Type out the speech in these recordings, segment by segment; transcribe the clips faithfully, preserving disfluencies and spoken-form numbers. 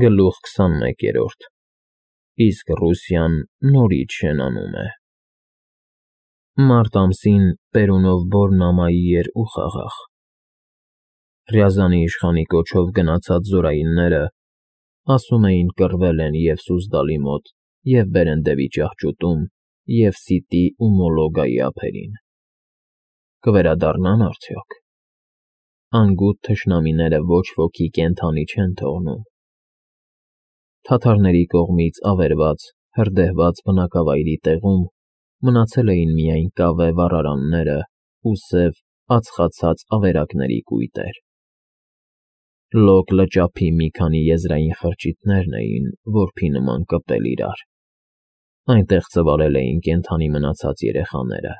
Գլուխ քսանմեկերորդ Իսկ Ռուսիան նորից շենանում է։ Մարտ ամսին Պերունով Բորնամայի էր ու խաղաղ։ Ռյազանի իշխանի կոչով գնացած զորայինները, ասում էին, կռվել են և Սուզդալի մոտ, և Բերենդևի ճահճուտում, և Սիտի ու Մոլոգայի ափերին։ Կվերադառնա՞ն արդյոք։ Անգութ թշնամիները ոչ ոքի կենդանի չեն թողնում։ Թաթարների կողմից ավերված, հրդեհված բնակավայրի տեղում մնացել էին միայն կավե վառարանները ու սև, ածխացած ավերակների կույտեր։ Լոկ լճափի մի քանի եզրային խրճիթներն էին, որբի նման կպել իրար։ Այնտեղ ծվարել էին կենդանի մնացած երեխաները,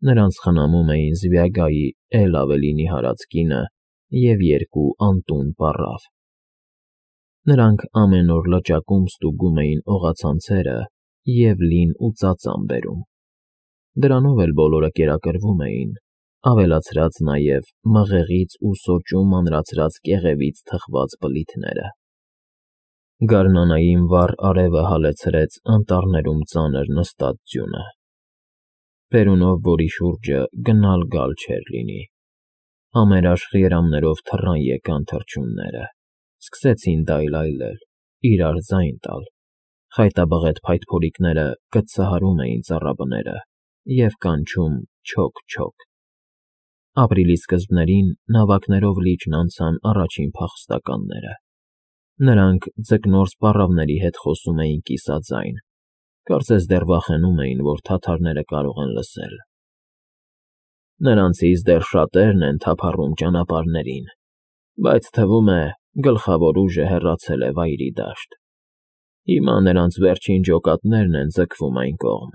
նրանց խնամում էին Զվյագայի էլ ավելի նիհարած կինը և երկու անտուն պառավ։ Նրանք ամեն օր լճակում ստուգում էին օղացանցերը և լին ու ծածան բերում։ Դրանով էլ բոլորը կերակրվում էին, ավելացրած նաև մղեղից ու սոճու մանրացրած կեղևից թխված բլիթները։ Գարնանային վառ արևը հալեցրեց անտառներում ծանր նստած ձյունը։ Պերունով Բորի շուրջը գնալ֊գալ չէր լինի։ Համերաշխ երամներով թռան եկան թռչունները, սկսեցին դայլայլել, իրար ձայն տալ, խայտաբղետ փայտփորիկները կծծահարում էին ծառաբները և կանչում չոք֊չոք։ Ապրիլի սկզբներին նավակներով լիճն անցան առաջին փախստականները։ Նրանք ձկնորս պառավների հետ խոսում էին կիսաձայն, կարծես դեռ վախենում էին, որ թաթարները կարող են լսել։ Նրանցից դեռ շատերն են թափառում ճանապարհներին, բայց թվում է, գլխավոր ուժը հեռացել է Վայրի դաշտ։ Հիմա նրանց վերջին ջոկատներն են ձգվում այն կողմ,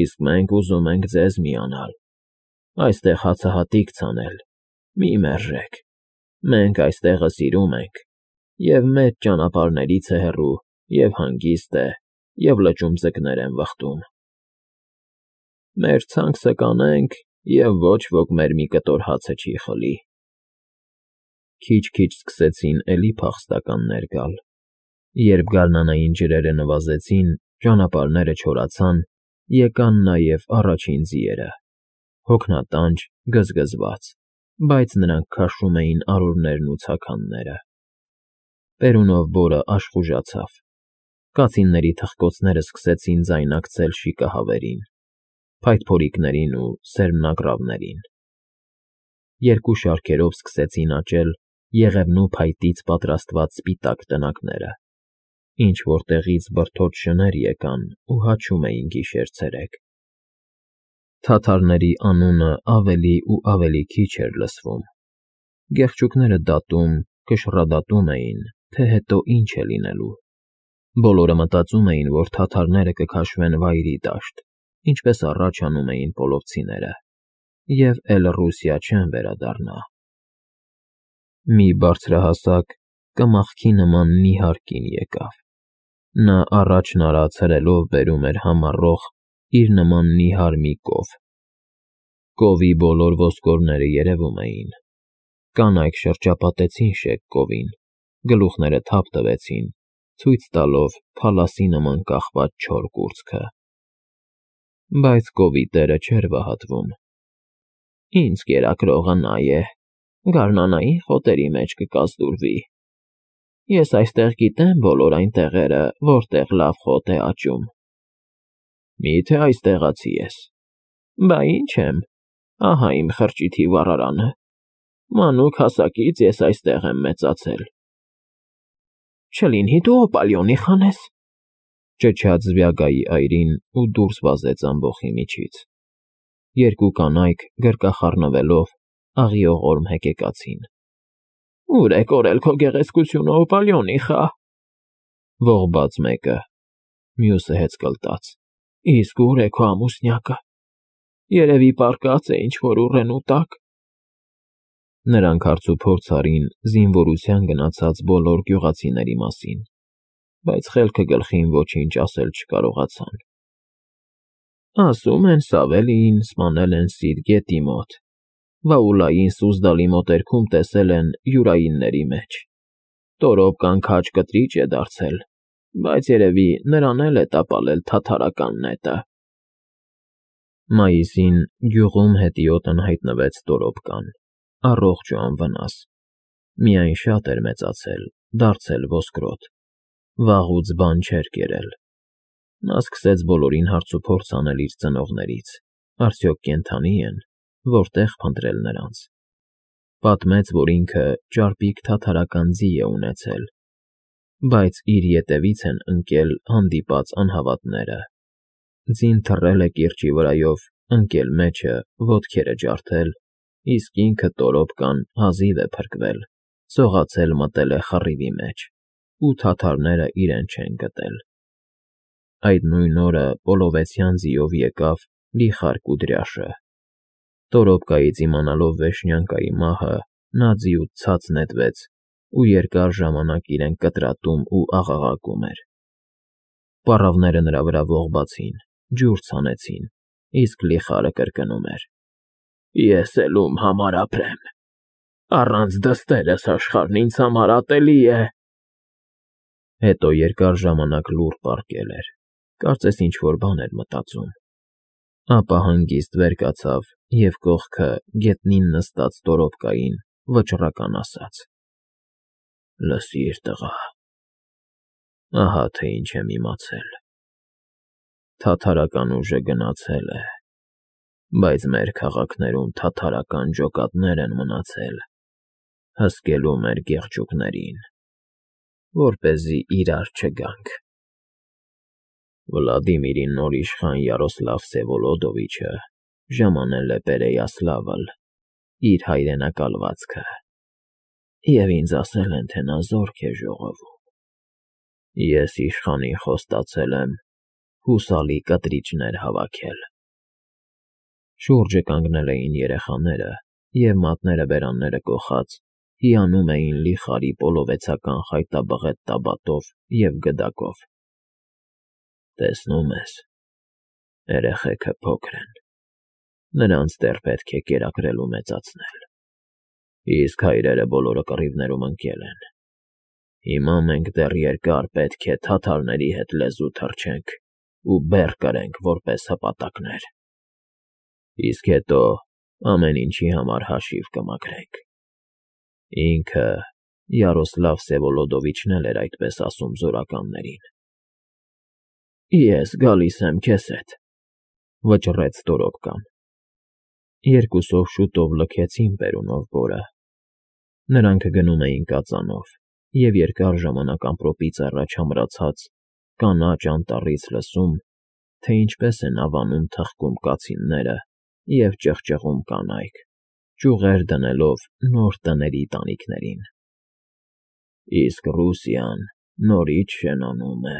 իսկ մենք ուզում ենք ձեզ միանալ, այստեղ հացահատիկ ցանել, մի մերժեք, մենք այստեղը սիրում ենք, և մեծ ճանապարհներից է հեռու, և հանգիստ է, և լճում ձկներ են վխտում։ Մեր ցանքսը կանենք, և ոչ ոք մեր մի կտոր հացը չի խլի։ Քիչ-քիչ սկսեցին էլի փախստականներ գալ։ Երբ գարնանային ջրերը նվազեցին, ճանապարհները չորացան, եկան նաև առաջին ձիերը, հոգնատանչ, գզգզված, բայց նրանք քաշում էին արորներն ու ցաքանները։ Պերունով Բորը աշխուժացավ։ Կացինների թխկոցները սկսեցին ձայնակցել շիկահավերին, փայտփորիկներին ու սերմնագռավներին։ Երկու շարքերով սկսեցին աճել եղևնու փայտից պատրաստված սպիտակ տնակները, ինչ֊որ տեղից բրդոտ շներ եկան ու հաչում էին գիշեր֊ցերեկ։ Թաթարների անունը ավելի ու ավելի քիչ էր լսվում։ Գեղչուկները դատում, կշռադատում էին, թե հետո ինչ է լինելու։ Բոլորը մտածում էին, որ թաթարները կքաշվեն Վայրի դաշտ, ինչպես առաջ անում էին պոլովցիները, և էլ Ռուսիա չեն վերադառնա։ Մի բարձրահասակ, կմախքի նման նիհար կին եկավ։ Նա առաջն արած հրելով բերում էր համառող իր նման նիհար մի կով։ Կովի բոլոր ոսկորները երևում էին։ Կանայք շրջապատեցին շեկ կովին, գլուխները թափ տվեցին, ցույց տալով փալասի նման կախված չոր կուրծքը։ Բայց կովի տերը չէր վհատվում։ Ինձ կերակրողը նա է, գարնանային խոտերի մեջ կկազդուրվի։ Ես այստեղ գիտեմ բոլոր այն տեղերը, որտեղ լավ խոտ է աճում։ Մի՞թե այստեղացի ես։ Բա ինչ եմ, ահա իմ խրճիթի վառարանը, մանուկ հասակից ես այստեղ եմ մեծացել։ Չլինի դու Օպալիոնի խանես, ճչաց Զվյագայի այրին ու դուրս վազեց ամբոխի միջից։ Երկու կանայք, գրկախառնվելով, աղիողորմ հեկեկացին։ Ո՞ւր է կորել քո գեղեցկությունը, Օպալիոնի խա։ Ողբաց մեկը, մյուսը հեծկլտաց։ Իսկ ո՞ւր է քո ամուսնյակը։ Երևի պառկած է ինչ֊որ ուռենու տակ։ Նրանք հարցուփորձ արին զինվորության գնացած բոլոր գյուղացիների մասին, բայց խելքը գլխին ոչինչ ասել չկարողացան։ Ասում են Սավելիին սպանել են Սիդ գետի մոտ, Վաուլային Սուզդալի մոտերքում տեսել են յուրայինների մեջ։ Տորոպկան քաջ կտրիչ է դարձել, բայց երևի նրան էլ է տապալել թաթարական նետը։ Մայիսին գյուղում հետիոտն հայտնվեց Տորոպկան, առողջ ու անվնաս, միայն շատ էր մեծացել, դարձել ոսկրոտ, վաղուց բան չէր կերել։ Նա սկսեց բոլորին հարցուփորձ անել իր ծնողներից, արդյոք կենդանի են, որտեղ փնտրել նրանց։ Պատմեց, որ ինքը ճարպիկ թաթարական ձի է ունեցել, բայց իր ետևից են ընկել հանդիպած անհավատները։ Ձին թռել է կիրճի վրայով, ընկել մեջը, ոտքերը ջարդել, իսկ ինքը Տորոպկան հազիվ է փրկվել, սողացել մտել է խռիվի մեջ, ու թաթարները իրեն չեն գտել։ Այդ նույն օրը Պոլովեցյան ձիով եկավ Լիխար Կուդրյաշը։ Տորոպկայից իմանալով Վեշնյանկայի մահը, նա ձիուց ցած նետվեց ու երկար ժամանակ իրեն կտրատում ու աղաղակում էր։ Պառավները նրա վրա ողբացին, ջուր ցանեցին, իսկ Լիխարը կրկնում էր. Ես էլ ում համար ապրեմ, առանց դստերս աշխարհն ինձ համար ատելի է։ Հետո երկար ժամանակ լուռ պառկել էր, կարծես ինչ֊որ բան էր մտածում, ապա հանգիստ վեր կացավ և կողքը գետնին նստած Տորոպկային վճռական ասաց. Լսիր, տղա, ահա թե ինչ եմ իմացել. թաթարական ուժը գնացել է, բայց մեր քաղաքներում թաթարական ջոկատներ են մնացել, հսկելու մեր գեղջուկներին, որպեսզի իրար չգանք։ Վլադիմիրի նոր իշխան Յարոսլավ Վսևոլոդովիչը ժամանել է Պերեյասլավլ, իր հայրենակալվածքը, և ինձ ասել են, թե նա զորք է ժողովում։ Ես իշխանին խոստացել եմ հուսալի կտրիճներ հավաքել։ Շուրջը կանգնել էին երեխաները և մատները բերանները կոխած, հիանում էին Լիխարի պոլովեցական խայտաբղետ տաբատով և գդակով։ Տեսնում ես, երեխեքը փոքր են, նրանց դեռ պետք է կերակրել ու մեծացնել, իսկ հայրերը բոլորը կռիվներում ընկել են։ Հիմա մենք դեռ երկար պետք է թաթարների հետ լեզու թռչենք ու բեռ կրենք որպես հպատակներ, իսկ հետո ամեն ինչի համար հաշիվ կմաքրենք։ Ինքը Յարոսլավ Վսևոլոդովիչն էլ էր այդպես ասում զորականներին։ Ես գալիս եմ քեզ հետ, վճռեց Տորոպկան։ Երկուսով շուտով լքեցին Պերունով բորը։ Նրանք գնում էին կածանով, և երկար ժամանակ ամպրոպից առաջ ամրացած կանաչ անտառից լսում, թե ինչպես են ավանում թխկում կացինները և ճղճղում կանայք, ճյուղեր դնելով նոր տների տանիքներին։ Իսկ Ռուսիան նորից շենանում է։